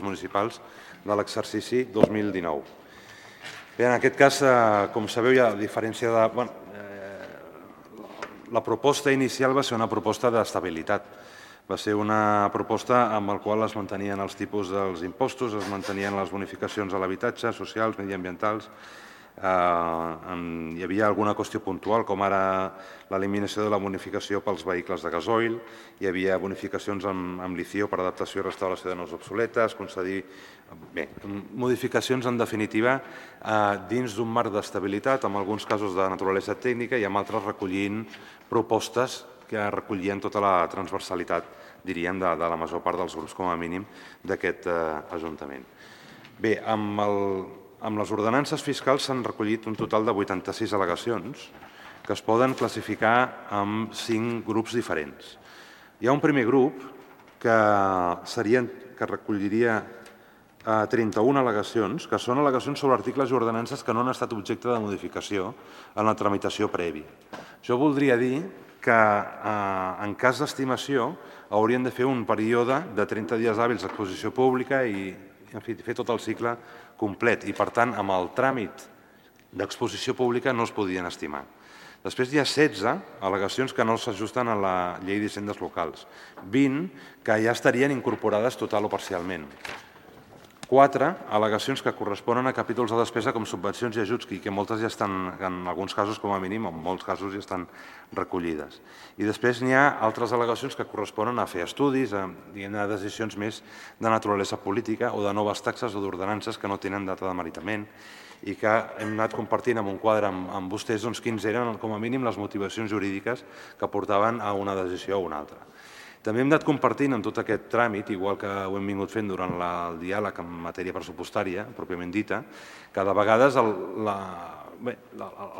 municipals de l'exercici 2019. Bé, en aquest cas, com sabeu, a diferència de... La proposta inicial va ser una proposta d'estabilitat. Va ser una proposta amb la qual es mantenien els tipus dels impostos, es mantenien les bonificacions a l'habitatge, socials, mediambientals. Hi havia alguna qüestió puntual, com ara l'eliminació de la bonificació pels vehicles de gasoil, hi havia bonificacions amb lició per adaptació i restauració de naus obsoletes, concedir... Bé, modificacions, en definitiva, dins d'un marc d'estabilitat, en alguns casos de naturalesa tècnica i en altres recollint propostes que recollien tota la transversalitat, diríem, de la major part dels grups, com a mínim, d'aquest Ajuntament. Bé, amb les ordenances fiscals s'han recollit un total de 86 al·legacions que es poden classificar en 5 grups diferents. Hi ha un primer grup que recolliria 31 al·legacions, que són al·legacions sobre articles i ordenances que no han estat objecte de modificació en la tramitació prèvia. Això voldria dir que en cas d'estimació haurien de fer un període de 30 dies hàbils d'exposició pública i fer tot el cicle complet i, per tant, amb el tràmit d'exposició pública no es podien estimar. Després hi ha 16 al·legacions que no s'ajusten a la llei d'hisendes locals, 20 que ja estarien incorporades total o parcialment, 4 al·legacions que corresponen a capítols de despesa com subvencions i ajuts, que moltes ja estan, en alguns casos com a mínim, en molts casos ja estan recollides. I després n'hi ha altres al·legacions que corresponen a fer estudis, a decisions més de naturalesa política o de noves taxes o d'ordenances que no tenen data de meritament i que hem anat compartint en un quadre amb vostès quins eren, com a mínim, les motivacions jurídiques que portaven a una decisió o una altra. També hem anat compartint en tot aquest tràmit, igual que ho hem vingut fent durant el diàleg en matèria pressupostària, pròpiament dita, que de vegades el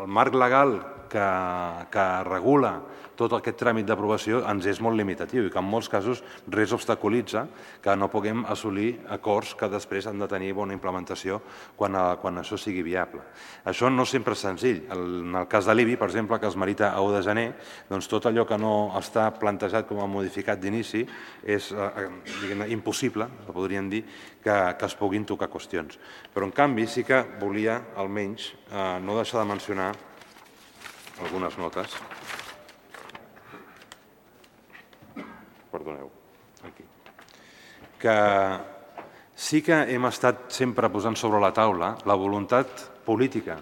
marc legal que regula tot aquest tràmit d'aprovació ens és molt limitatiu i que en molts casos res obstaculitza que no puguem assolir acords que després han de tenir bona implementació quan això sigui viable. Això no sempre és senzill. En el cas de l'IBI, per exemple, que es merita a 1 de gener, doncs tot allò que no està plantejat com a modificat d'inici és impossible, podríem dir, que es puguin tocar qüestions. Però, en canvi, sí que volia, almenys, no deixar de mencionar algunes notes. Perdoneu, aquí. Que sí que hem estat sempre posant sobre la taula la voluntat política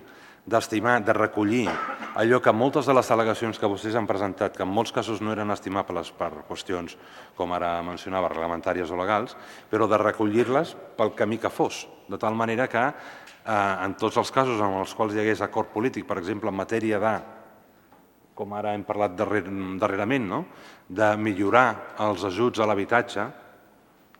d'estimar, de recollir allò que moltes de les al·legacions que vostès han presentat, que en molts casos no eren estimables per qüestions, com ara mencionava, reglamentàries o legals, però de recollir-les pel camí que fos, de tal manera que en tots els casos en els quals hi hagués acord polític, per exemple, en matèria de, com ara hem parlat darrerament, de millorar els ajuts a l'habitatge,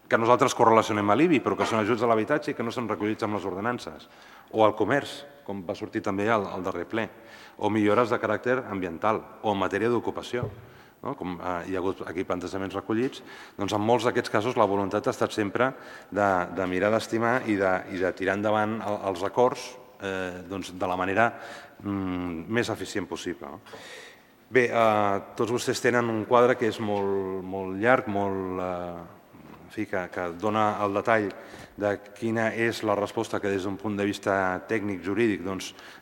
que nosaltres correlacionem a l'IBI, però que són ajuts a l'habitatge i que no són recollits amb les ordenances, o al comerç, com va sortir també al darrer ple, o millores de caràcter ambiental, o en matèria d'ocupació, com hi ha hagut aquí plantejaments recollits, doncs en molts d'aquests casos la voluntat ha estat sempre de mirar d'estimar i de tirar endavant els acords de la manera més eficient possible. Bé, tots vostès tenen un quadre que és molt llarg, que dona el detall de quina és la resposta que des d'un punt de vista tècnic jurídic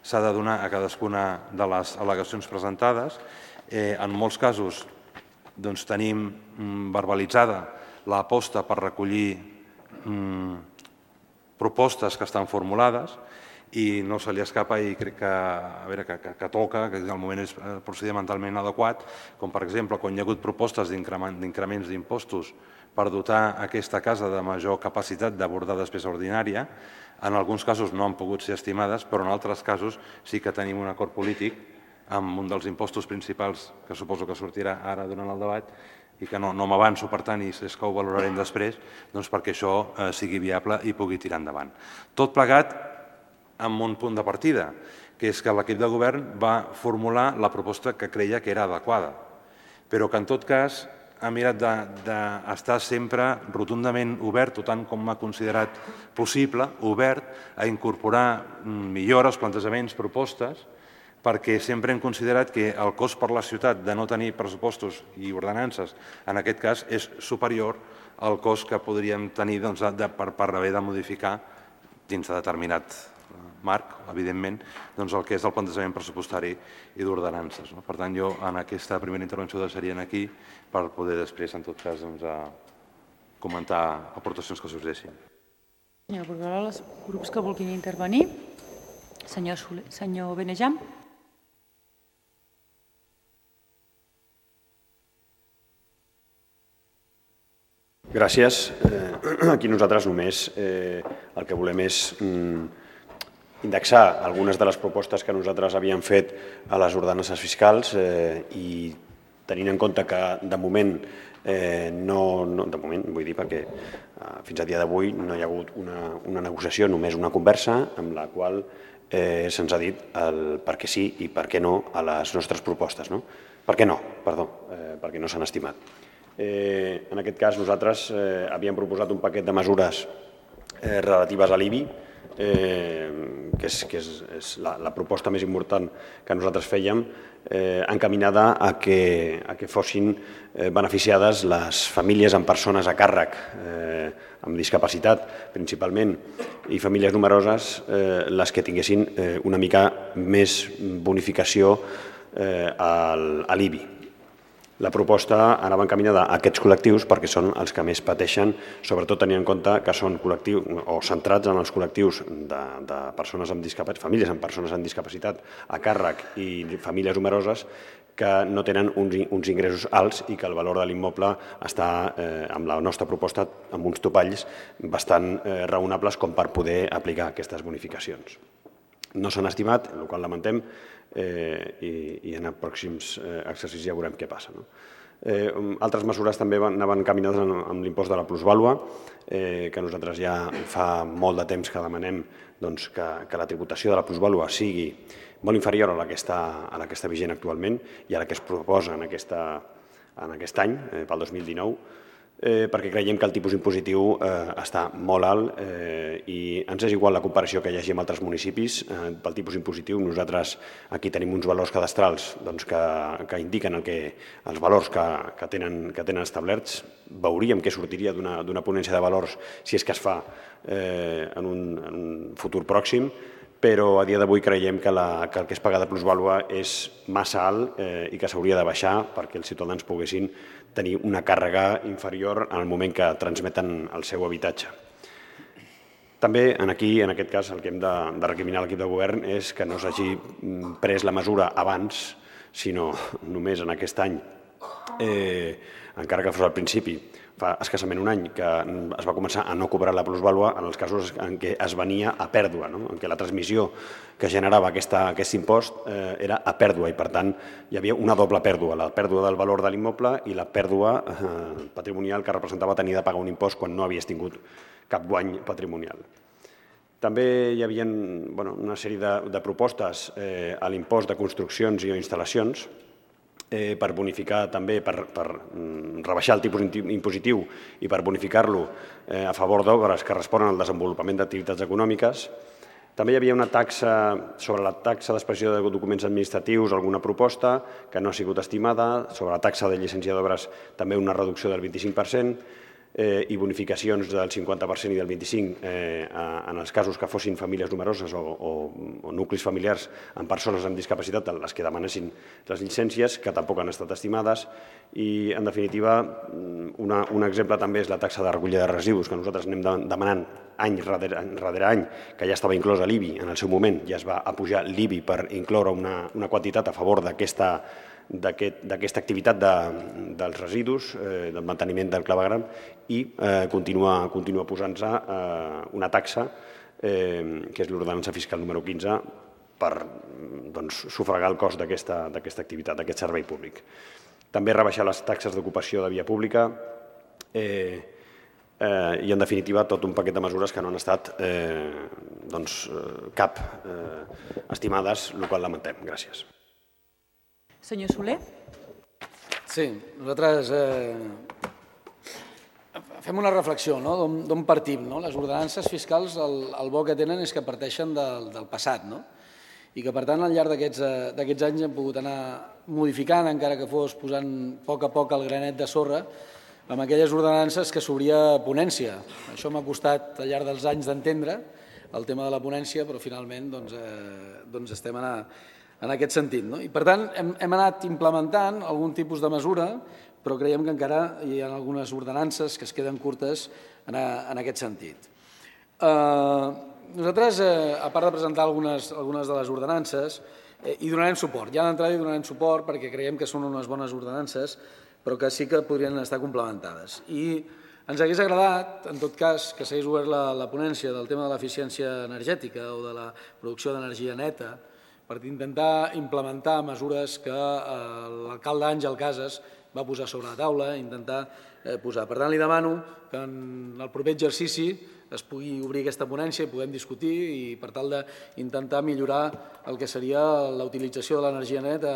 s'ha de donar a cadascuna de les al·legacions presentades. En molts casos tenim verbalitzada l'aposta per recollir propostes que estan formulades i no se li escapa i crec que toca, que el moment és procedimentalment adequat, com per exemple quan hi ha hagut propostes d'increments d'impostos per dotar aquesta casa de major capacitat d'abordar despesa ordinària, en alguns casos no han pogut ser estimades, però en altres casos sí que tenim un acord polític amb un dels impostos principals que suposo que sortirà ara durant el debat i que no m'avanço, per tant, i és que ho valorarem després, perquè això sigui viable i pugui tirar endavant. Tot plegat amb un punt de partida, que és que l'equip de govern va formular la proposta que creia que era adequada, però que en tot cas ha mirat d'estar sempre rotundament obert, tant com ha considerat possible, obert a incorporar millores, plantejaments, propostes, perquè sempre hem considerat que el cost per la ciutat de no tenir pressupostos i ordenances, en aquest cas, és superior al cost que podríem tenir per haver de modificar dins de determinat marc, evidentment, el que és el plantejament pressupostari i d'ordenances. Per tant, jo en aquesta primera intervenció ho deixaria aquí per poder després, en tot cas, comentar aportacions que sorgeixin. Senyora Borrell, els grups que vulguin intervenir. Senyor Benejam. Gràcies. Aquí nosaltres només el que volem és indexar algunes de les propostes que nosaltres havíem fet a les ordenances fiscals i tenint en compte que de moment vull dir perquè fins a dia d'avui no hi ha hagut una negociació, només una conversa amb la qual se'ns ha dit el per què sí i per què no a les nostres propostes. Per què no? Perdó, perquè no s'han estimat. En aquest cas nosaltres havíem proposat un paquet de mesures relatives a l'IBI, que és la proposta més important que nosaltres fèiem, encaminada a que fossin beneficiades les famílies amb persones a càrrec amb discapacitat, principalment, i famílies numeroses, les que tinguessin una mica més bonificació a l'IBI. La proposta anava encaminada a aquests col·lectius perquè són els que més pateixen, sobretot tenint en compte que són col·lectius o centrats en els col·lectius de persones amb discapacitat, famílies amb persones amb discapacitat a càrrec i famílies numeroses que no tenen uns ingressos alts i que el valor de l'immoble està, amb la nostra proposta, amb uns topalls bastant raonables com per poder aplicar aquestes bonificacions. No s'han estimat, el qual lamentem, i en els pròxims exercicis ja veurem què passa. Altres mesures també anaven encaminades amb l'impost de la plusvàlua, que nosaltres ja fa molt de temps que demanem que la tributació de la plusvàlua sigui molt inferior a la que està vigent actualment i a la que es proposa en aquest any, pel 2019, perquè creiem que el tipus impositiu està molt alt i ens és igual la comparació que hi hagi amb altres municipis. Pel tipus impositiu nosaltres aquí tenim uns valors cadastrals que indiquen els valors que tenen establerts. Veuríem què sortiria d'una ponència de valors si és que es fa en un futur pròxim, però a dia d'avui creiem que el que es paga de plusvàlua és massa alt i que s'hauria de baixar perquè els ciutadans poguessin tenir una càrrega inferior en el moment que transmeten el seu habitatge. També aquí, en aquest cas, el que hem de recriminar a l'equip de govern és que no s'hagi pres la mesura abans, sinó només en aquest any, encara que fos al principi, fa escassament un any que es va començar a no cobrar la plusvàlua en els casos en què es venia a pèrdua, en què la transmissió que generava aquest impost era a pèrdua i, per tant, hi havia una doble pèrdua, la pèrdua del valor de l'immoble i la pèrdua patrimonial que representava tenir de pagar un impost quan no havies tingut cap guany patrimonial. També hi havia una sèrie de propostes a l'impost de construccions i instal·lacions per bonificar també, per rebaixar el tipus impositiu i per bonificar-lo a favor d'obres que responen al desenvolupament d'activitats econòmiques. També hi havia una taxa sobre la taxa d'expressió de documents administratius, alguna proposta que no ha sigut estimada, sobre la taxa de llicència d'obres també una reducció del 25%, i bonificacions del 50% i del 25% en els casos que fossin famílies numeroses o nuclis familiars amb persones amb discapacitat, les que demanessin les llicències, que tampoc han estat estimades. I, en definitiva, un exemple també és la taxa de recollida de residus, que nosaltres anem demanant any darrere any, que ja estava inclosa l'IBI en el seu moment, ja es va apujar l'IBI per incloure una quantitat a favor d'aquesta activitat dels residus, del manteniment del clavegueram, i continua posant-se una taxa, que és l'ordenança fiscal número 15, per sufragar el cost d'aquesta activitat, d'aquest servei públic. També rebaixar les taxes d'ocupació de via pública i, en definitiva, tot un paquet de mesures que no han estat cap estimades, el qual lamentem. Gràcies. Senyor Soler. Sí, nosaltres fem una reflexió d'on partim. Les ordenances fiscals, el bo que tenen és que parteixen del passat. i que, per tant, al llarg d'aquests anys hem pogut anar modificant, encara que fos posant a poc el granet de sorra, amb aquelles ordenances que s'obria ponència. Això m'ha costat al llarg dels anys d'entendre el tema de la ponència, però finalment estem en aquest sentit. I, per tant, hem anat implementant algun tipus de mesura, però creiem que encara hi ha algunes ordenances que es queden curtes en aquest sentit. Nosaltres, a part de presentar algunes de les ordenances, hi donarem suport. Ja d'entrada hi donarem suport perquè creiem que són unes bones ordenances, però que sí que podrien estar complementades. I ens hagués agradat, en tot cas, que s'hagués obert la ponència del tema de l'eficiència energètica o de la producció d'energia neta per intentar implementar mesures que l'alcalde Àngel Casas va posar sobre la taula, intentar posar. Per tant, li demano que en el proper exercici es pugui obrir aquesta ponència i puguem discutir i per tal d'intentar millorar el que seria la utilització de l'energia neta.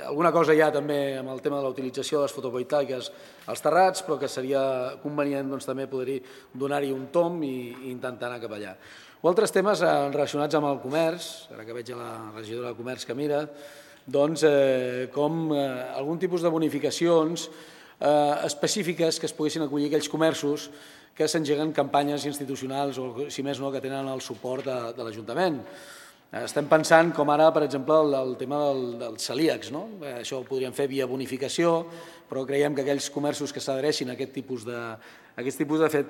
Alguna cosa hi ha també amb el tema de la utilització de les fotovoltaiques als terrats, però que seria convenient també poder donar-hi un tomb i intentar anar cap allà. O altres temes relacionats amb el comerç, ara que veig a la regidora de Comerç que mira, com algun tipus de bonificacions específiques que es poguessin acollir aquells comerços que s'engeguen campanyes institucionals o, si més no, que tenen el suport de l'Ajuntament. Estem pensant com ara, per exemple, el tema dels celíacs. Això ho podríem fer via bonificació, però creiem que aquells comerços que s'adhereixin a aquest tipus de fet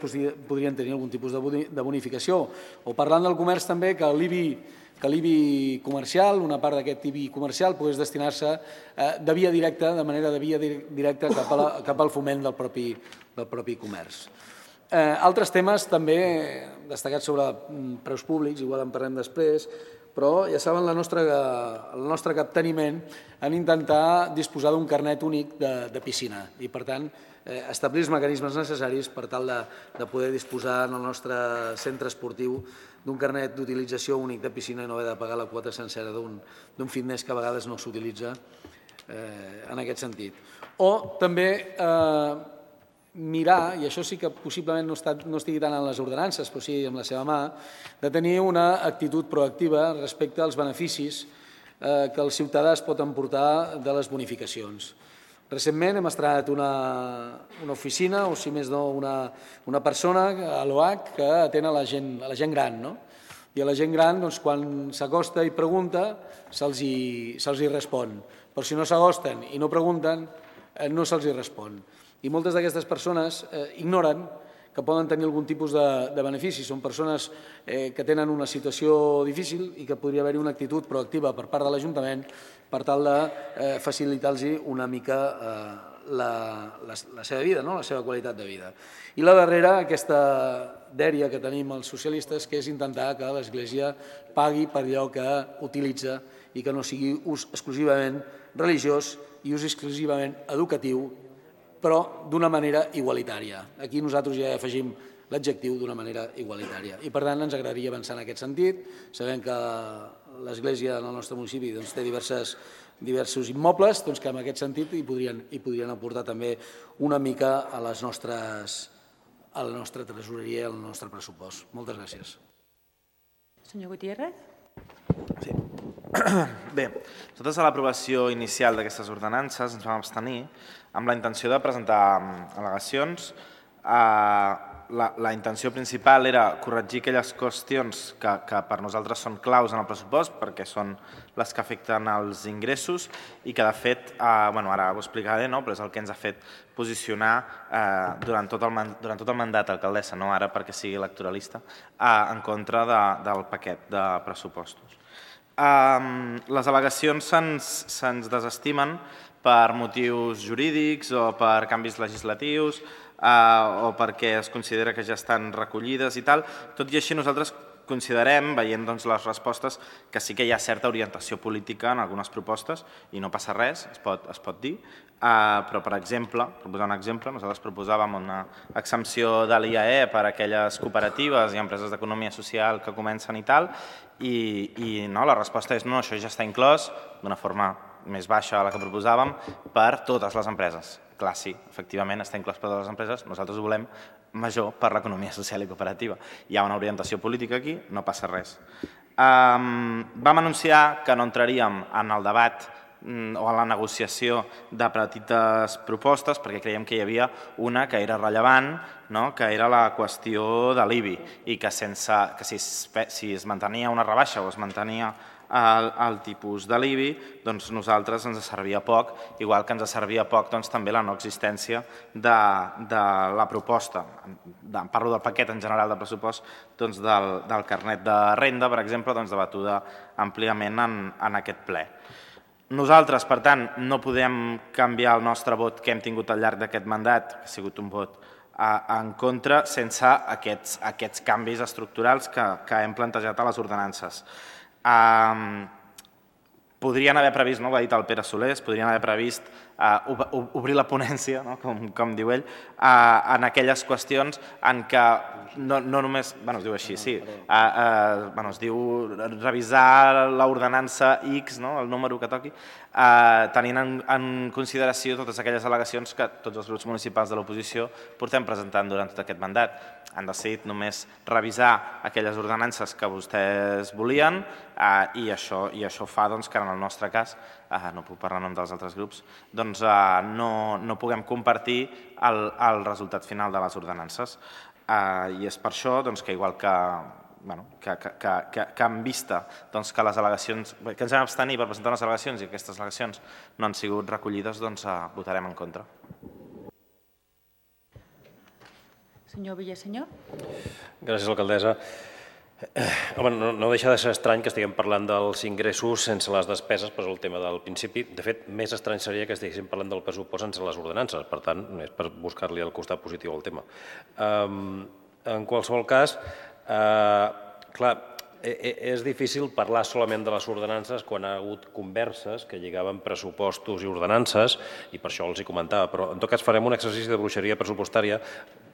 podrien tenir algun tipus de bonificació. O parlant del comerç també, que l'IBI comercial, una part d'aquest IBI comercial, pogués destinar-se de via directa, de manera de via directa cap al foment del propi comerç. Altres temes també destacats sobre preus públics, igual en parlem després, però ja saben el nostre capteniment en intentar disposar d'un carnet únic de piscina i, per tant, establir els mecanismes necessaris per tal de poder disposar en el nostre centre esportiu d'un carnet d'utilització únic de piscina i no haver de pagar la quota sencera d'un fitness que a vegades no s'utilitza en aquest sentit. O també mirar, i això sí que possiblement no estigui tant en les ordenances, però sí amb la seva mà, de tenir una actitud proactiva respecte als beneficis que el ciutadà es pot emportar de les bonificacions. Recentment hem estrenat una oficina, o si més no una persona a l'OH que atén a la gent gran. I a la gent gran, quan s'acosta i pregunta, se'ls hi respon. Però si no s'acosten i no pregunten, no se'ls hi respon. I moltes d'aquestes persones ignoren que poden tenir algun tipus de benefici. Són persones que tenen una situació difícil i que podria haver-hi una actitud proactiva per part de l'Ajuntament per tal de facilitar-los una mica la seva vida, la seva qualitat de vida. I la darrera, aquesta dèria que tenim els socialistes, que és intentar que l'Església pagui per allò que utilitza i que no sigui ús exclusivament religiós i ús exclusivament educatiu, però d'una manera igualitària. Aquí nosaltres ja afegim l'adjectiu d'una manera igualitària. I per tant ens agradaria avançar en aquest sentit. Sabem que l'Església en el nostre municipi té diversos immobles que en aquest sentit hi podrien aportar també una mica a la nostra tresoreria i al nostre pressupost. Moltes gràcies. Senyor Gutiérrez. Sí. Bé, nosaltres a l'aprovació inicial d'aquestes ordenances ens vam abstenir amb la intenció de presentar al·legacions. La intenció principal era corregir aquelles qüestions que per nosaltres són claus en el pressupost perquè són les que afecten els ingressos i que de fet, ara ho explicaré, però és el que ens ha fet posicionar durant tot el mandat alcaldessa, no ara perquè sigui electoralista, en contra del paquet de pressupostos. Les al·legacions se'ns desestimen per motius jurídics o per canvis legislatius o perquè es considera que ja estan recollides i tal. Tot i així nosaltres considerem, veient les respostes, que sí que hi ha certa orientació política en algunes propostes i no passa res, es pot dir, però per exemple, per posar un exemple, nosaltres proposàvem una exempció de l'IAE per a aquelles cooperatives i empreses d'economia social que comencen i tal, i la resposta és no, això ja està inclòs d'una forma més baixa a la que proposàvem per totes les empreses. Clar, sí, efectivament està inclòs per totes les empreses, nosaltres ho volem major per l'economia social i cooperativa. Hi ha una orientació política aquí, no passa res. Vam anunciar que no entraríem en el debat o en la negociació de petites propostes perquè creiem que hi havia una que era rellevant, que era la qüestió de l'IBI i que si es mantenia una rebaixa o es mantenia el tipus de l'IBI, doncs nosaltres ens servia poc, igual que ens servia poc també la no existència de la proposta. Parlo del paquet en general de pressupost del carnet de renda, per exemple, debatuda àmpliament en aquest ple. Nosaltres, per tant, no podem canviar el nostre vot que hem tingut al llarg d'aquest mandat, que ha sigut un vot en contra, sense aquests canvis estructurals que hem plantejat a les ordenances. Podrien haver previst, ho ha dit el Pere Soler, podrien haver previst obrir la ponència, com diu ell, en aquelles qüestions en què no només, es diu així, sí, es diu revisar l'ordenança X, el número que toqui, tenint en consideració totes aquelles al·legacions que tots els grups municipals de l'oposició portem presentant durant tot aquest mandat. Han decidit només revisar aquelles ordenances que vostès volien i això fa que en el nostre cas, no puc parlar en nom dels altres grups, no puguem compartir el resultat final de les ordenances. I és per això que igual que en vista que les al·legacions, que ens vam abstenir per presentar unes al·legacions i aquestes al·legacions no han sigut recollides, votarem en contra. Senyor Villasenyor. Gràcies, alcaldessa. Home, no deixa de ser estrany que estiguem parlant dels ingressos sense les despeses, però és el tema del principi. De fet, més estrany seria que estiguéssim parlant del pressupost sense les ordenances. Per tant, és per buscar-li el costat positiu al tema. En qualsevol cas, clar, és difícil parlar solament de les ordenances quan hi ha hagut converses que lligaven pressupostos i ordenances, i per això els hi comentava, però en tot cas farem un exercici de bruixeria pressupostària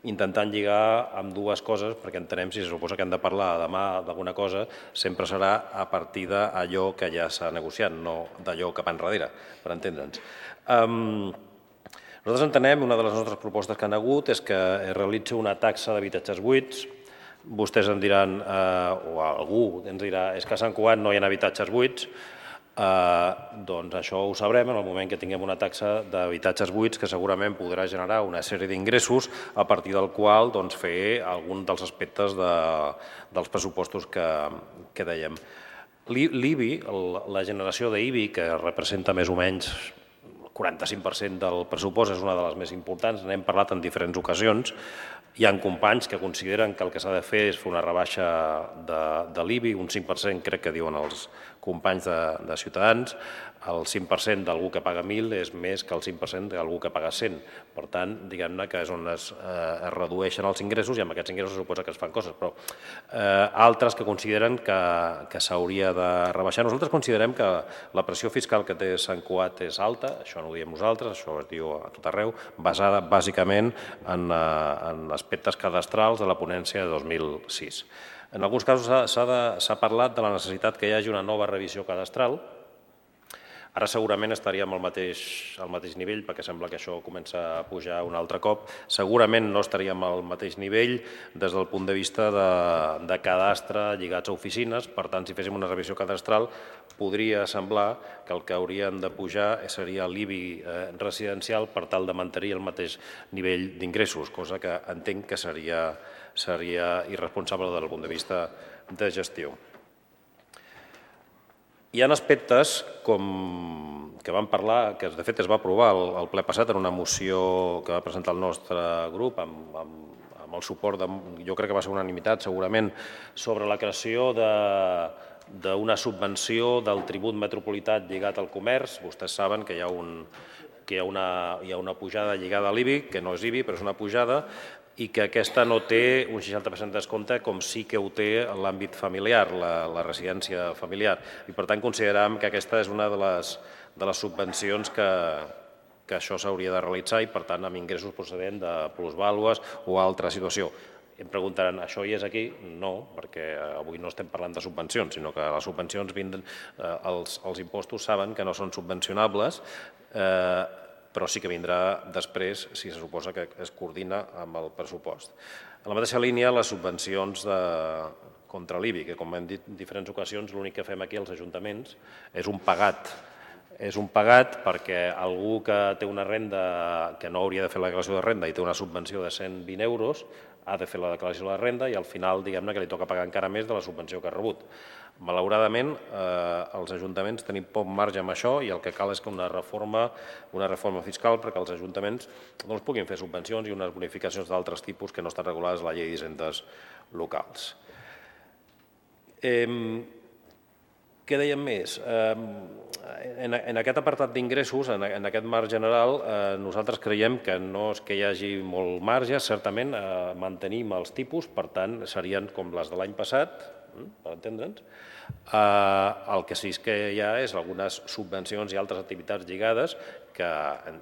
intentant lligar amb dues coses, perquè entenem si se suposa que hem de parlar demà d'alguna cosa, sempre serà a partir d'allò que ja s'ha negociat, no d'allò que va enrere, per entendre'ns. Nosaltres entenem, una de les nostres propostes que han hagut és que es realitzi una taxa d'habitatges buits. Vostès em diran, o algú ens dirà, és que a Sant Cugat no hi ha habitatges buits. Doncs això ho sabrem en el moment que tinguem una taxa d'habitatges buits que segurament podrà generar una sèrie d'ingressos a partir del qual fer algun dels aspectes dels pressupostos que dèiem. L'IBI, la generació d'IBI, que representa més o menys el 45% del pressupost, és una de les més importants, n'hem parlat en diferents ocasions. Hi ha companys que consideren que el que s'ha de fer és fer una rebaixa de l'IBI, un 5% crec que diuen els companys de Ciutadans, el 5% d'algú que paga 1.000 és més que el 5% d'algú que paga 100. Per tant, diguem-ne que és on es redueixen els ingressos i amb aquests ingressos suposa que es fan coses, però altres que consideren que s'hauria de rebaixar. Nosaltres considerem que la pressió fiscal que té Sant Cugat és alta, això no ho diem nosaltres, això es diu a tot arreu, basada bàsicament en aspectes cadastrals de la ponència de 2006. En alguns casos s'ha parlat de la necessitat que hi hagi una nova revisió cadastral. Ara segurament estaríem al mateix nivell, perquè sembla que això comença a pujar un altre cop. Segurament no estaríem al mateix nivell des del punt de vista de cadastre lligats a oficines. Per tant, si féssim una revisió cadastral, podria semblar que el que haurien de pujar seria l'IBI residencial per tal de mantenir el mateix nivell d'ingressos, cosa que entenc que seria irresponsable des del punt de vista de gestió. Hi ha aspectes que vam parlar, que de fet es va aprovar al ple passat en una moció que va presentar el nostre grup amb el suport, jo crec que va ser unanimitat segurament, sobre la creació d'una subvenció del tribut metropolità lligat al comerç. Vostès saben que hi ha una pujada lligada a l'IBI, que no és IBI, però és una pujada, i que aquesta no té un 60% de descompte com sí que ho té l'àmbit familiar, la residència familiar. I per tant considerem que aquesta és una de les subvencions que això s'hauria de realitzar i per tant amb ingressos procedents de plusvàlues o altra situació. Em preguntaran, això hi és aquí? No, perquè avui no estem parlant de subvencions, sinó que les subvencions vindran, els impostos saben que no són subvencionables, però sí que vindrà després si se suposa que es coordina amb el pressupost. En la mateixa línia, les subvencions contra l'IBI, que com hem dit en diferents ocasions, l'únic que fem aquí als ajuntaments és un pagat. És un pagat perquè algú que té una renda que no hauria de fer la declaració de renda i té una subvenció de 120 euros ha de fer la declaració de la renda i al final diguem-ne que li toca pagar encara més de la subvenció que ha rebut. Malauradament, els ajuntaments tenim poc marge amb això i el que cal és que una reforma fiscal perquè els ajuntaments puguin fer subvencions i unes bonificacions d'altres tipus que no estan regulades a la llei d'hisendes locals. Què dèiem més? En aquest apartat d'ingressos, en aquest marc general, nosaltres creiem que no és que hi hagi molt marge, certament mantenim els tipus, per tant, serien com les de l'any passat, per entendre'ns. El que sí que hi ha és algunes subvencions i altres activitats lligades, que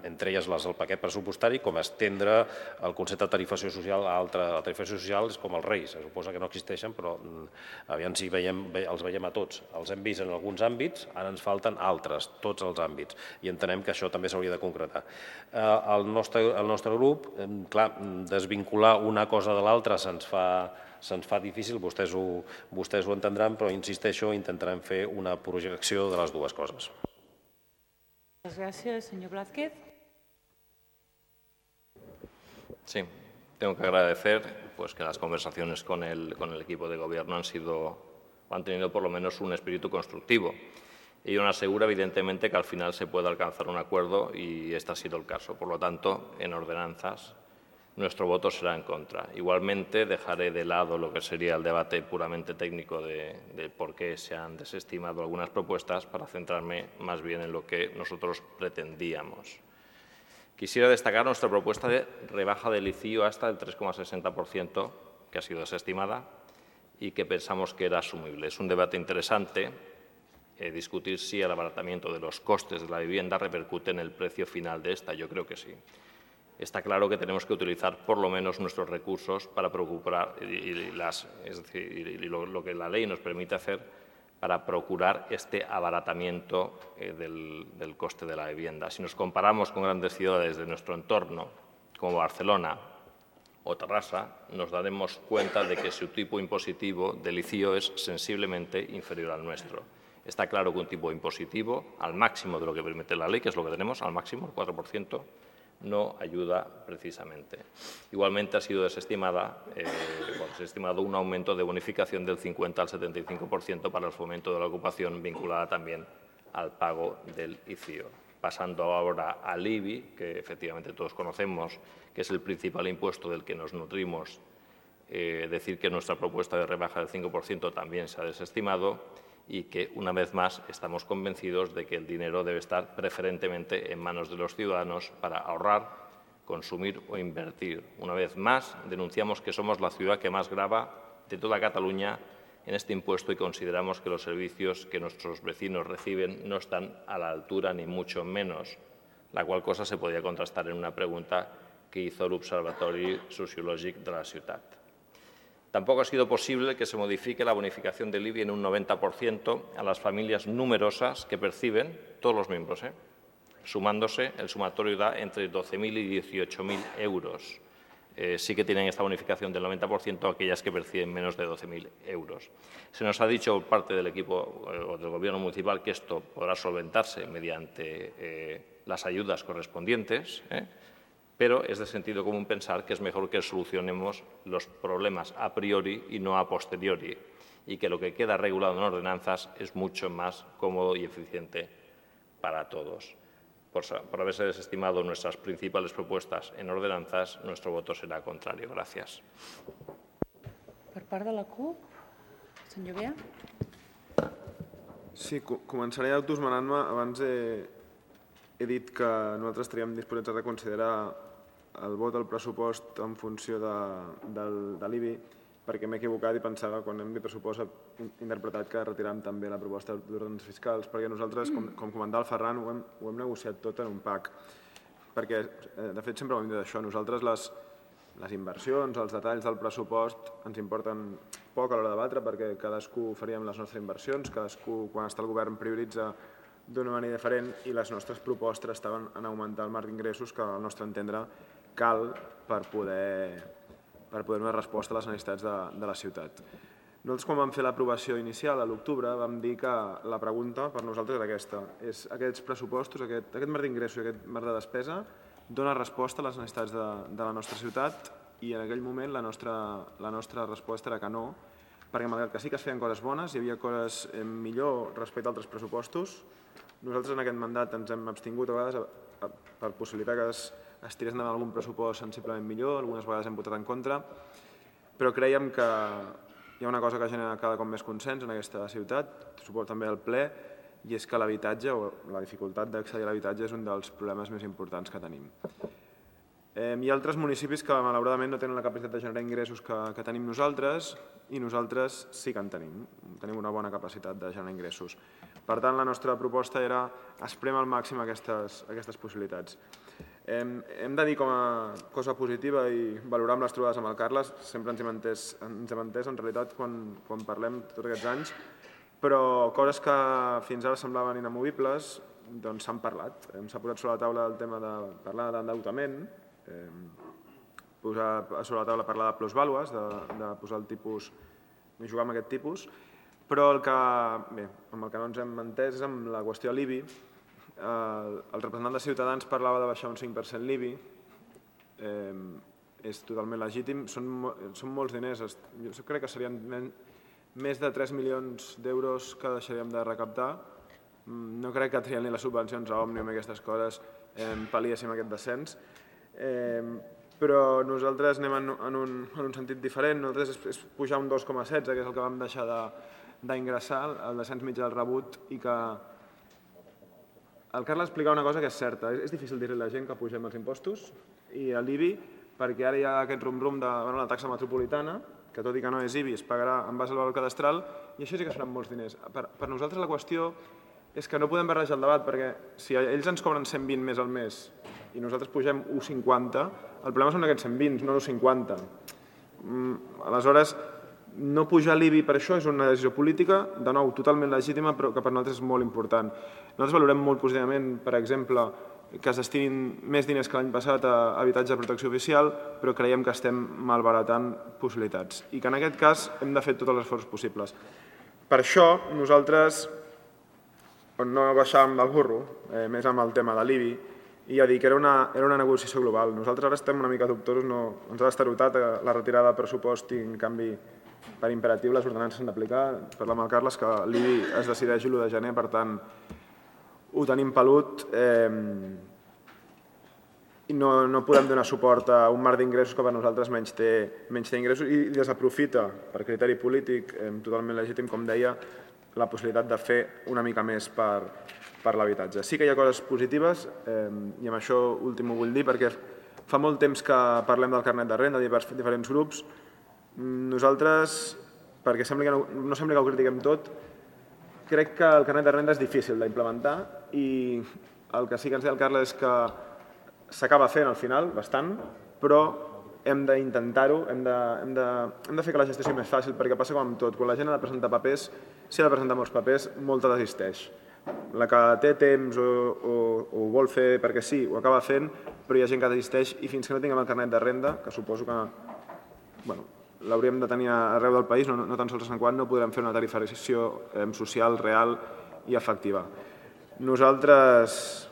entre elles les del paquet pressupostari, com estendre el concepte de tarifació social a altra. La tarifació social és com els reis, se suposa que no existeixen, però aviam si els veiem a tots. Els hem vist en alguns àmbits, ara ens falten altres, tots els àmbits, i entenem que això també s'hauria de concretar. El nostre grup, clar, desvincular una cosa de l'altra se'ns fa difícil, vostès ho entendran, però insisteixo, intentarem fer una projecció de les dues coses. Muchas gracias, señor Blázquez. Sí, tengo que agradecer que las conversaciones con el equipo de gobierno han tenido por lo menos un espíritu constructivo. Ello nos asegura, evidentemente, que al final se puede alcanzar un acuerdo y este ha sido el caso. Por lo tanto, en ordenanzas, nuestro voto será en contra. Igualmente, dejaré de lado lo que sería el debate puramente técnico de por qué se han desestimado algunas propuestas para centrarme más bien en lo que nosotros pretendíamos. Quisiera destacar nuestra propuesta de rebaja del ICIO hasta el 3,60%, que ha sido desestimada y que pensamos que era asumible. Es un debate interesante discutir si el abaratamiento de los costes de la vivienda repercute en el precio final de esta. Yo creo que sí. Está claro que tenemos que utilizar por lo menos nuestros recursos para procurar, lo que la ley nos permite hacer para procurar este abaratamiento del coste de la vivienda. Si nos comparamos con grandes ciudades de nuestro entorno, como Barcelona o Terrassa, nos daremos cuenta de que su tipo impositivo del ICIO es sensiblemente inferior al nuestro. Está claro que un tipo impositivo, al máximo de lo que permite la ley, que es lo que tenemos, al máximo, el 4%, no ayuda precisamente. Igualmente ha sido desestimado un aumento de bonificación del 50 al 75% para el fomento de la ocupación vinculada también al pago del ICIO. Pasando ahora al IBI, que efectivamente todos conocemos, que es el principal impuesto del que nos nutrimos, decir que nuestra propuesta de rebaja del 5% también se ha desestimado y que, una vez más, estamos convencidos de que el dinero debe estar preferentemente en manos de los ciudadanos para ahorrar, consumir o invertir. Una vez más, denunciamos que somos la ciudad que más grava de toda Cataluña en este impuesto y consideramos que los servicios que nuestros vecinos reciben no están a la altura, ni mucho menos, la qual cosa se podía contrastar en una pregunta que hizo el Observatori Sociològic de la ciutat. Tampoco ha sido posible que se modifique la bonificación del IBI en un 90% a las familias numerosas que perciben, todos los miembros, sumándose, el sumatorio da entre 12.000 y 18.000 euros. Sí que tienen esta bonificación del 90% aquellas que perciben menos de 12.000 euros. Se nos ha dicho por parte del equipo o del Gobierno municipal que esto podrá solventarse mediante las ayudas correspondientes, pero es de sentido común pensar que es mejor que solucionemos los problemas a priori y no a posteriori, y que lo que queda regulado en ordenanzas es mucho más cómodo y eficiente para todos. Por haberse desestimado nuestras principales propuestas en ordenanzas, nuestro voto será contrario. Gràcies. Per part de la CUP, senyor Bea. Sí, començaré autoesmenant-me. Abans he dit que nosaltres estaríem disposats a reconsiderar el vot al pressupost en funció de l'IBI, perquè m'he equivocat i pensava, quan hem dit pressupost, he interpretat que retiràvem també la proposta d'ordenances fiscals, perquè nosaltres, com comentava el Ferran, ho hem negociat tot en un pack. Perquè, de fet, sempre ho hem dit això, nosaltres les inversions, els detalls del pressupost ens importen poc a l'hora de debatre, perquè cadascú faríem les nostres inversions, cadascú, quan està el govern, prioritza d'una manera diferent i les nostres propostes estaven en augmentar el marc d'ingressos que, al nostre entendre, cal per poder donar resposta a les necessitats de la ciutat. Nosaltres, quan vam fer l'aprovació inicial a l'octubre, vam dir que la pregunta per nosaltres era aquesta. És aquests pressupostos, aquest marc d'ingressos i aquest marc de despesa dona resposta a les necessitats de la nostra ciutat i en aquell moment la nostra resposta era que no, perquè malgrat que sí que es feien coses bones, hi havia coses millor respecte a altres pressupostos, nosaltres en aquest mandat ens hem abstingut a vegades per possibilitar que es tirés endavant algun pressupost sensiblement millor, algunes vegades hem votat en contra, però creiem que hi ha una cosa que genera cada cop més consens en aquesta ciutat, suposo també el ple, i és que l'habitatge o la dificultat d'accedir a l'habitatge és un dels problemes més importants que tenim. Hi ha altres municipis que malauradament no tenen la capacitat de generar ingressos que tenim nosaltres i nosaltres sí que en tenim. Tenim una bona capacitat de generar ingressos. Per tant, la nostra proposta era esprémer al màxim aquestes possibilitats. Hem de dir com a cosa positiva i valorar amb les trobades amb el Carles, sempre ens hem entès en realitat quan parlem tots aquests anys, però coses que fins ara semblaven inamovibles doncs s'han parlat. S'ha posat sobre la taula el tema de parlar d'endeutament, posar sobre la taula parlar de plusvàlues, de posar el tipus, de jugar amb aquest tipus, però amb el que no ens hem entès és amb la qüestió de l'IBI. El representant de Ciutadans parlava de baixar un 5% l'IBI, és totalment legítim, són molts diners, jo crec que serien més de 3 milions d'euros que deixaríem de recaptar, no crec que trien ni les subvencions a Òmnium i aquestes coses pal·liéssim aquest descens, però nosaltres anem en un sentit diferent, nosaltres és pujar un 2,16, que és el que vam deixar d'ingressar, el descens mitjà del rebut, i que el Carles explicava una cosa que és certa, és difícil dir-li a la gent que pugem els impostos i l'IBI, perquè ara hi ha aquest rum-rum de la taxa metropolitana, que tot i que no és IBI es pagarà en base al valor cadastral, i això sí que seran molts diners. Per nosaltres la qüestió és que no podem barrejar el debat, perquè si ells ens cobren 120 més al mes i nosaltres pugem 1,50, el problema són aquests 120, no 1,50. Aleshores, no pujar l'IBI per això és una decisió política, de nou, totalment legítima, però que per nosaltres és molt important. Nosaltres valorem molt positivament, per exemple, que es destinin més diners que l'any passat a habitatge de protecció oficial, però creiem que estem malbaratant possibilitats i que en aquest cas hem de fer tots els esforços possibles. Per això nosaltres no baixàvem del burro, més amb el tema de l'IBI, i ja dic, era una negociació global. Nosaltres ara estem una mica dubtosos, ens ha destarotat la retirada de pressupost i en canvi per imperatiu les ordenances s'han d'aplicar. Parlem amb el Carles que l'IBI es decideix l'1 de gener, per tant ho tenim pelut i no podem donar suport a un marc d'ingressos que per nosaltres menys té ingressos i desaprofita, per criteri polític totalment legítim, com deia, la possibilitat de fer una mica més per l'habitatge. Sí que hi ha coses positives i amb això últim ho vull dir perquè fa molt temps que parlem del carnet de renda de diferents grups. Nosaltres, perquè no sembli que ho critiquem tot, crec que el carnet de renda és difícil d'implementar i el que sí que ens deia el Carles és que s'acaba fent al final, bastant, però hem d'intentar-ho, hem de fer que la gestió sigui més fàcil, perquè passa com amb tot. Quan la gent ha de presentar papers, si ha de presentar molts papers, molta desisteix. La que té temps o ho vol fer perquè sí, ho acaba fent, però hi ha gent que desisteix i fins que no tinguem el carnet de renda, que suposo que l'hauríem de tenir arreu del país, no tan sols a Sant Cugat, no podrem fer una tarifació social real i efectiva. Nosaltres,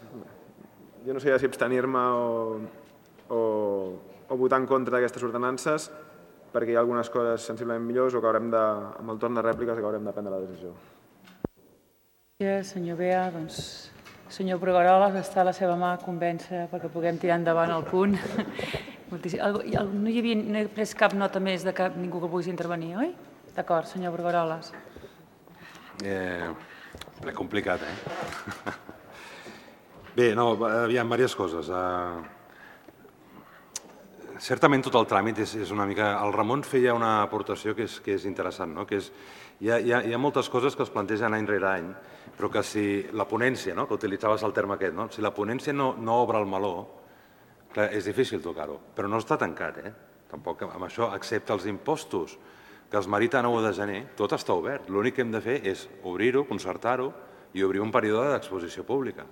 jo no sé si abstenir-me o votar en contra d'aquestes ordenances, perquè hi ha algunes coses sensiblement millors o que haurem de, amb el torn de rèpliques, haurem de prendre la decisió. Gràcies, senyor Bea. Doncs, senyor Brugueroles, està a la seva mà convèncer perquè puguem tirar endavant el punt. No he pres cap nota més de cap ningú que vulgui intervenir, oi? D'acord, senyor Brugueroles. Ple complicat, Bé, no, hi ha diverses coses. Certament tot el tràmit és una mica... El Ramon feia una aportació que és interessant, no? Que hi ha moltes coses que es plantegen any rere any, però que si la ponència, que utilitzaves el terme aquest, si la ponència no obre el meló, clar, és difícil tocar-ho, però no està tancat, tampoc amb això, excepte els impostos que es meriten a 1 de gener, tot està obert. L'únic que hem de fer és obrir-ho, concertar-ho i obrir un període d'exposició pública.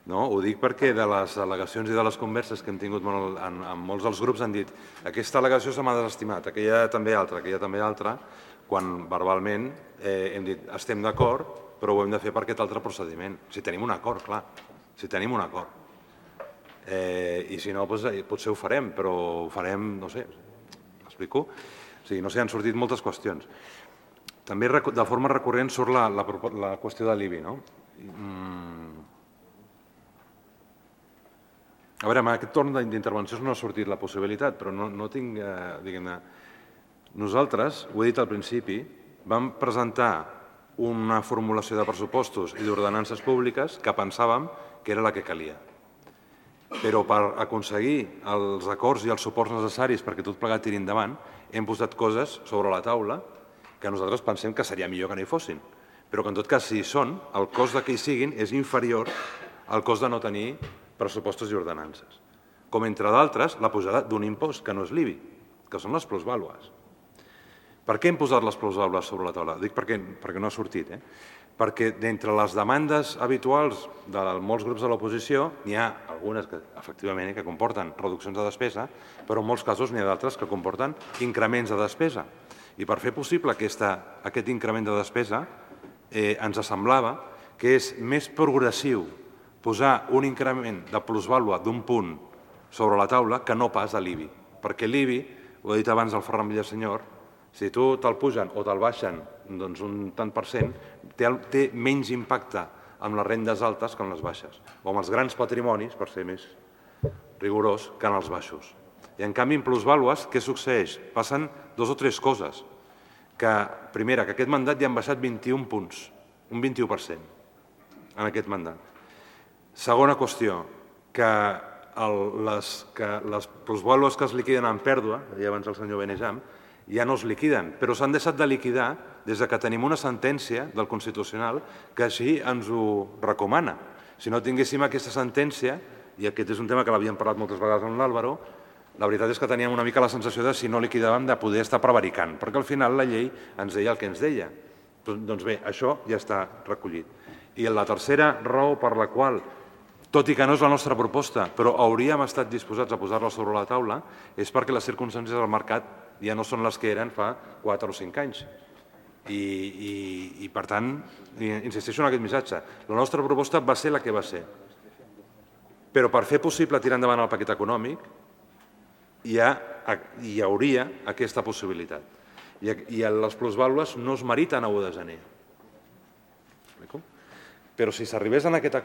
No? Ho dic perquè de les al·legacions i de les converses que hem tingut amb molts dels grups han dit aquesta al·legació se m'ha desestimat, aquella també altra, quan verbalment hem dit estem d'acord, però ho hem de fer per aquest altre procediment. Si tenim un acord, clar, si tenim un acord. I si no, potser ho farem, però ho farem, no sé, m'explico? O sigui, no sé, han sortit moltes qüestions. També de forma recurrent surt la qüestió de l'IBI, no? A veure, en aquest torn d'intervencions no ha sortit la possibilitat, però no tinc, diguem-ne... Nosaltres, ho he dit al principi, vam presentar una formulació de pressupostos i d'ordenances públiques que pensàvem que era la que calia. Però per aconseguir els acords i els suports necessaris perquè tot plegat tiri endavant, hem posat coses sobre la taula que nosaltres pensem que seria millor que no hi fossin, però que en tot cas, si hi són, el cost que hi siguin és inferior al cost de no tenir pressupostos i ordenances. Com, entre d'altres, la pujada d'un impost, que no és l'IBI, que són les plusvàlues. Per què hem posat les plusvàlues sobre la taula? Dic perquè no ha sortit. Perquè d'entre les demandes habituals de molts grups de l'oposició n'hi ha algunes que, efectivament, que comporten reduccions de despesa, però en molts casos n'hi ha d'altres que comporten increments de despesa. I per fer possible aquest increment de despesa, ens semblava que és més progressiu posar un increment de plusvàlua d'un punt sobre la taula que no pas a l'IBI. Perquè l'IBI, ho ha dit abans el Ferran Villasenyor, si tu te'l pugen o te'l baixen un tant per cent, té menys impacte amb les rendes altes que en les baixes, o amb els grans patrimonis, per ser més rigorós, que en els baixos. I en canvi, en plusvàlues, què succeeix? Passen 2 o 3 coses. Primera, que aquest mandat ja han baixat 21 punts, un 21% en aquest mandat. Segona qüestió, que les plusvàlues que es liquiden en pèrdua, deia abans el senyor Benejam, ja no es liquiden, però s'han deixat de liquidar des que tenim una sentència del Constitucional que així ens ho recomana. Si no tinguéssim aquesta sentència, i aquest és un tema que l'havíem parlat moltes vegades amb l'Àlvaro, la veritat és que teníem una mica la sensació de, si no liquidàvem, de poder estar prevaricant, perquè al final la llei ens deia el que ens deia. Doncs bé, això ja està recollit. I la tercera raó per la qual, tot i que no és la nostra proposta, però hauríem estat disposats a posar-la sobre la taula, és perquè les circumstàncies del mercat ja no són les que eren fa 4 o 5 anys. I per tant, insisteixo en aquest missatge, la nostra proposta va ser la que va ser. Però per fer possible tirar endavant el paquet econòmic, hi hauria aquesta possibilitat. I les plusvàlues no es meriten a 1 de gener. Però si s'arribés a aquest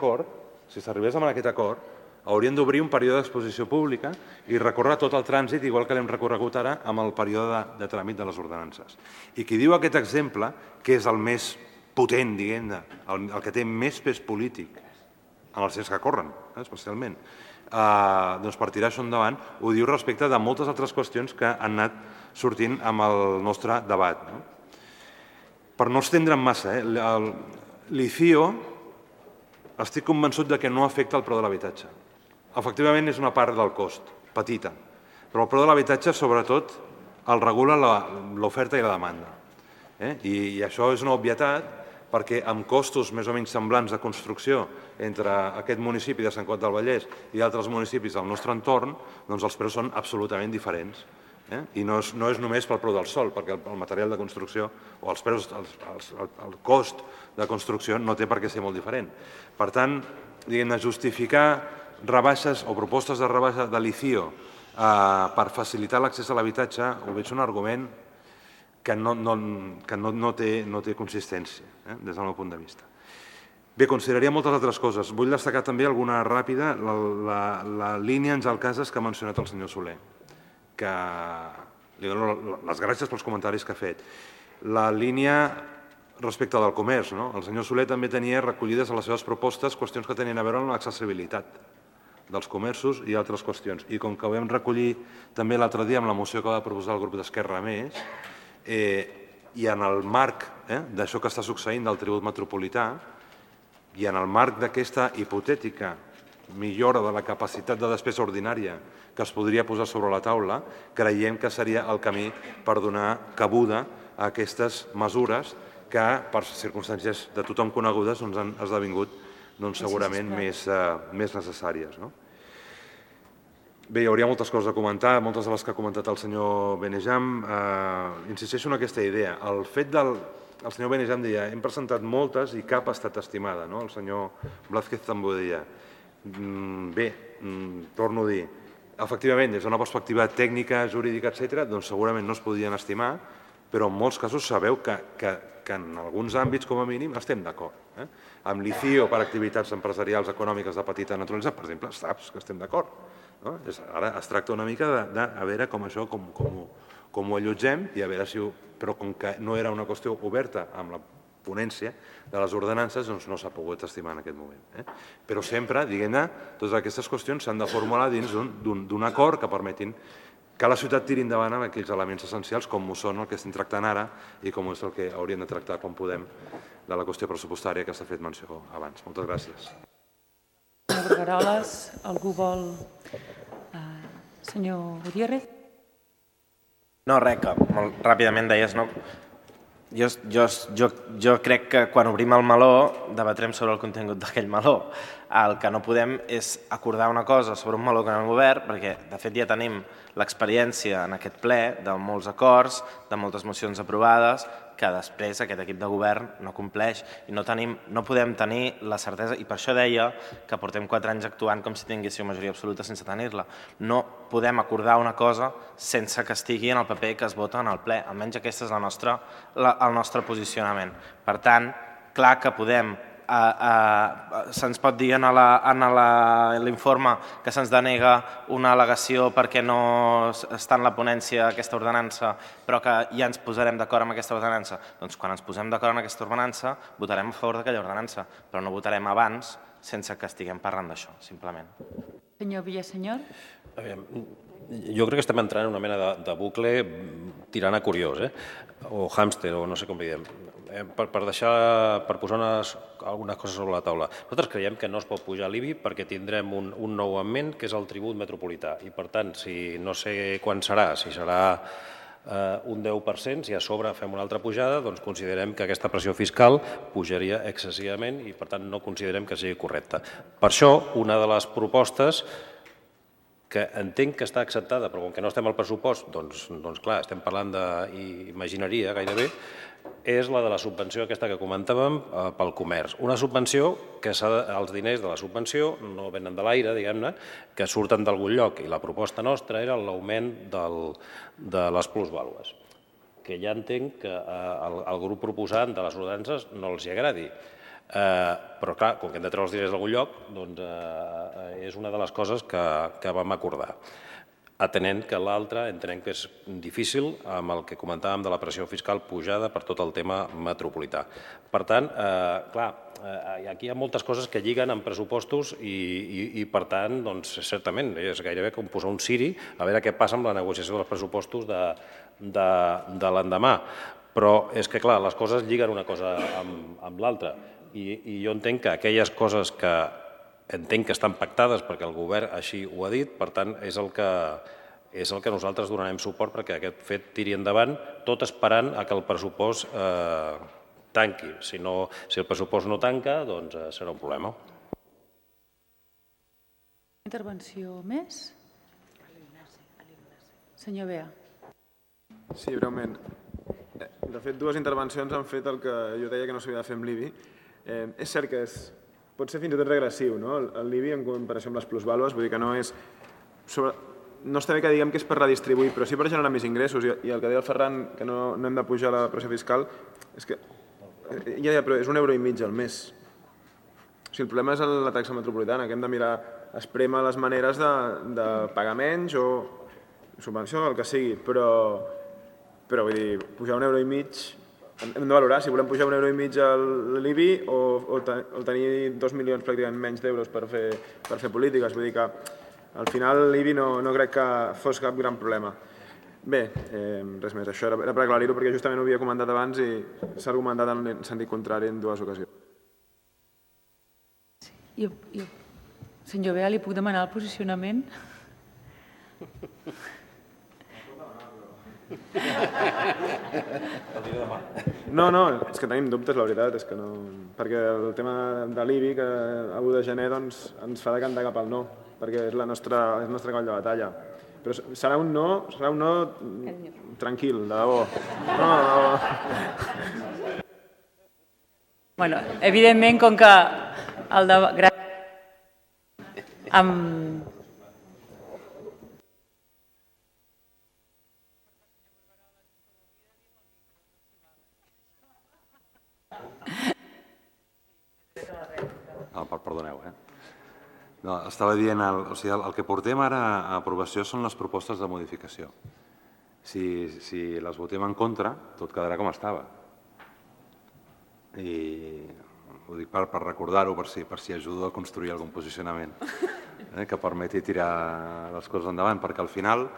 acord, hauríem d'obrir un període d'exposició pública i recórrer tot el trànsit, igual que l'hem recorregut ara, amb el període de tràmit de les ordenances. I qui diu aquest exemple, que és el més potent, diguem-ne, el que té més pes polític en els temps que corren, especialment, doncs per tirar això endavant, ho diu respecte de moltes altres qüestions que han anat sortint amb el nostre debat. Per no estendre'm massa, l'ICIO estic convençut que no afecta el preu de l'habitatge. Efectivament, és una part del cost, petita, però el preu de l'habitatge, sobretot, el regula l'oferta i la demanda. I això és una obvietat, perquè amb costos més o menys semblants de construcció entre aquest municipi de Sant Cugat del Vallès i altres municipis del nostre entorn, doncs els preus són absolutament diferents. I no és només pel preu del sòl, perquè el material de construcció o els preus, el cost de construcció no té per què ser molt diferent. Per tant, diguem-ne, justificar rebaixes o propostes de rebaixa de l'ICIO per facilitar l'accés a l'habitatge, ho veig un argument que no té consistència, des del meu punt de vista. Bé, consideraria moltes altres coses. Vull destacar també alguna ràpida, la línia Àngel Casas que ha mencionat el senyor Soler, que li dono les gràcies pels comentaris que ha fet. La línia respecte del comerç, el senyor Soler també tenia recollides a les seves propostes qüestions que tenien a veure amb l'accessibilitat dels comerços i altres qüestions. I com que ho vam recollir també l'altre dia amb la moció que va proposar el grup d'Esquerra Més, i en el marc d'això que està succeint del tribut metropolità i en el marc d'aquesta hipotètica millora de la capacitat de despesa ordinària que es podria posar sobre la taula, creiem que seria el camí per donar cabuda a aquestes mesures que, per circumstàncies de tothom conegudes, han esdevingut segurament més necessàries. Bé, hi hauria moltes coses a comentar, moltes de les que ha comentat el senyor Benejam. Insisteixo en aquesta idea. El fet del... El senyor Benejam deia, hem presentat moltes i cap ha estat estimada. El senyor Blázquez també ho deia. Bé, torno a dir, efectivament, des d'una perspectiva tècnica, jurídica, etc., doncs segurament no es podien estimar, però en molts casos sabeu que en alguns àmbits, com a mínim, estem d'acord. Amb l'ICIO per activitats empresarials econòmiques de petita naturalesa, per exemple, saps que estem d'acord. Ara es tracta una mica de veure com això, com ho allotgem, i a veure si però com que no era una qüestió oberta amb la ponència de les ordenances, doncs no s'ha pogut estimar en aquest moment. Però sempre, diguem-ne, totes aquestes qüestions s'han de formular dins d'un acord que permetin que la ciutat tiri endavant amb aquells elements essencials com ho són el que estem tractant ara i com és el que hauríem de tractar quan podem de la qüestió pressupostària que s'ha fet menció abans. Moltes gràcies. Senyor Brugueroles, algú vol... Senyor Gutiérrez? No, res, que molt ràpidament deies, no? Jo crec que quan obrim el meló debatrem sobre el contingut d'aquell meló. El que no podem és acordar una cosa sobre un meló que no hem obert, perquè de fet ja tenim l'experiència en aquest ple de molts acords, de moltes mocions aprovades, que després aquest equip de govern no compleix i no podem tenir la certesa, i per això deia que portem 4 anys actuant com si tinguéssiu majoria absoluta sense tenir-la. No podem acordar una cosa sense que estigui en el paper que es vota en el ple, almenys aquest és el nostre posicionament. Per tant, clar que podem, se'ns pot dir en l'informe que se'ns denega una al·legació perquè no està en la ponència aquesta ordenança, però que ja ens posarem d'acord amb aquesta ordenança. Doncs quan ens posem d'acord amb aquesta ordenança votarem a favor d'aquella ordenança, però no votarem abans sense que estiguem parlant d'això, simplement. Senyor Villasenyor? Jo crec que estem entrant en una mena de bucle tirant a curiós, o hàmster, o no sé com li diem. Per posar algunes coses sobre la taula. Nosaltres creiem que no es pot pujar l'IBI perquè tindrem un nou augment, que és el tribut metropolità. I, per tant, si no sé quan serà, si serà un 10%, si a sobre fem una altra pujada, doncs considerem que aquesta pressió fiscal pujaria excessivament i, per tant, no considerem que sigui correcta. Per això, una de les propostes que entenc que està acceptada, però com que no estem al pressupost, doncs clar, estem parlant d'imagineria gairebé, és la de la subvenció aquesta que comentàvem pel comerç. Una subvenció que els diners de la subvenció no venen de l'aire, diguem-ne, que surten d'algun lloc, i la proposta nostra era l'augment de les plusvàlues, que ja entenc que al grup proposant de les ordenances no els hi agradi. Però clar, com que hem de treure els diners d'algun lloc, doncs és una de les coses que vam acordar. Atenent que l'altre entenem que és difícil amb el que comentàvem de la pressió fiscal pujada per tot el tema metropolità. Per tant, clar, aquí hi ha moltes coses que lliguen amb pressupostos i per tant, doncs, certament, és gairebé com posar un ciri a veure què passa amb la negociació dels pressupostos de l'endemà. Però és que, clar, les coses lliguen una cosa amb l'altra i jo entenc que aquelles coses que entenc que estan pactades perquè el govern així ho ha dit, per tant, és el que nosaltres donarem suport perquè aquest fet tiri endavant, tot esperant que el pressupost tanqui. Si el pressupost no tanca, doncs serà un problema. Intervenció més? Senyor Bea. Sí, breument. De fet, 2 intervencions han fet el que jo deia que no s'havia de fer amb l'IBI. És cert que pot ser fins i tot regressiu, no? L'IBI en comparació amb les plusvàlues, vull dir que no és... No està bé que diguem que és per redistribuir, però sí per generar més ingressos. I el que deia el Ferran, que no hem de pujar la pressió fiscal, és que però és €1,5 al mes. O sigui, el problema és la taxa metropolitana, que hem de mirar, esprémer les maneres de pagar menys o subvenció, el que sigui, però vull dir, pujar €1,5 hem de valorar si volem pujar €1,5 a l'IBI o tenir 2 milions pràcticament menys d'euros per fer polítiques. Vull dir que al final l'IBI no crec que fos cap gran problema. Bé, res més. Això era per aclarir-ho perquè justament ho havia comentat abans i s'ha argumentat en sentit contrari en 2 ocasions. Senyor Bea, li puc demanar el posicionament? El diré demà. No, és que tenim dubtes, la veritat, és que no... Perquè el tema de l'IBI, que a 1 de gener ens fa decantar cap al no, perquè és el nostre cavall de batalla. Però serà un no tranquil, de debò. No, de debò. Bueno, evidentment, com que el debat... Perdoneu, No, estava dient, el que portem ara a aprovació són les propostes de modificació. Si les votem en contra, tot quedarà com estava. I ho dic per recordar-ho, per si ajudo a construir algun posicionament que permeti tirar les coses endavant, perquè al final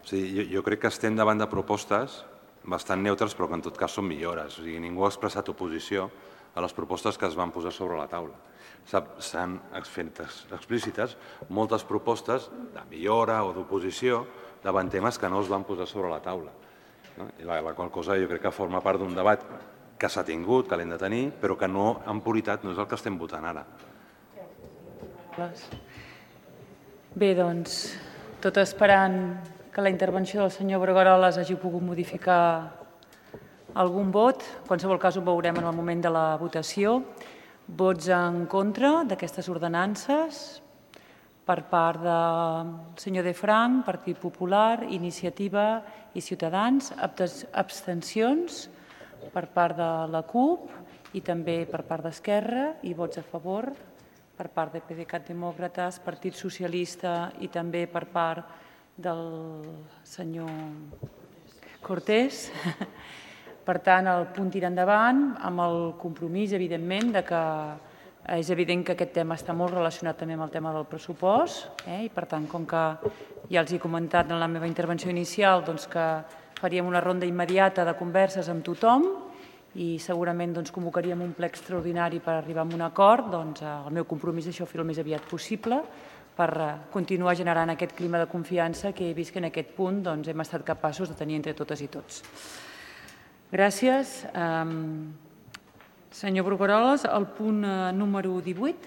jo crec que estem davant de propostes bastant neutres, però que en tot cas són millores. O sigui, ningú ha expressat oposició a les propostes que es van posar sobre la taula. S'han fet explícites moltes propostes de millora o d'oposició davant temes que no es van posar sobre la taula. I la qual cosa jo crec que forma part d'un debat que s'ha tingut, que l'hem de tenir, però que no, en puritat, no és el que estem votant ara. Bé, doncs, tot esperant que la intervenció del senyor Brugueroles hagi pogut modificar algun vot. En qualsevol cas ho veurem en el moment de la votació. Vots en contra d'aquestes ordenances per part del senyor De Frank, Partit Popular, Iniciativa i Ciutadans, abstencions per part de la CUP i també per part d'Esquerra i vots a favor per part de PDeCAT Demòcrates, Partit Socialista i també per part del senyor Cortés. Per tant, el punt tira endavant amb el compromís, evidentment, que és evident que aquest tema està molt relacionat també amb el tema del pressupost i, per tant, com que ja els he comentat en la meva intervenció inicial que faríem una ronda immediata de converses amb tothom i segurament convocaríem un ple extraordinari per arribar a un acord, el meu compromís és això fer el més aviat possible per continuar generant aquest clima de confiança que he vist que en aquest punt hem estat capaços de tenir entre totes i tots. Gràcies. Senyor Brugueroles, el punt número 18.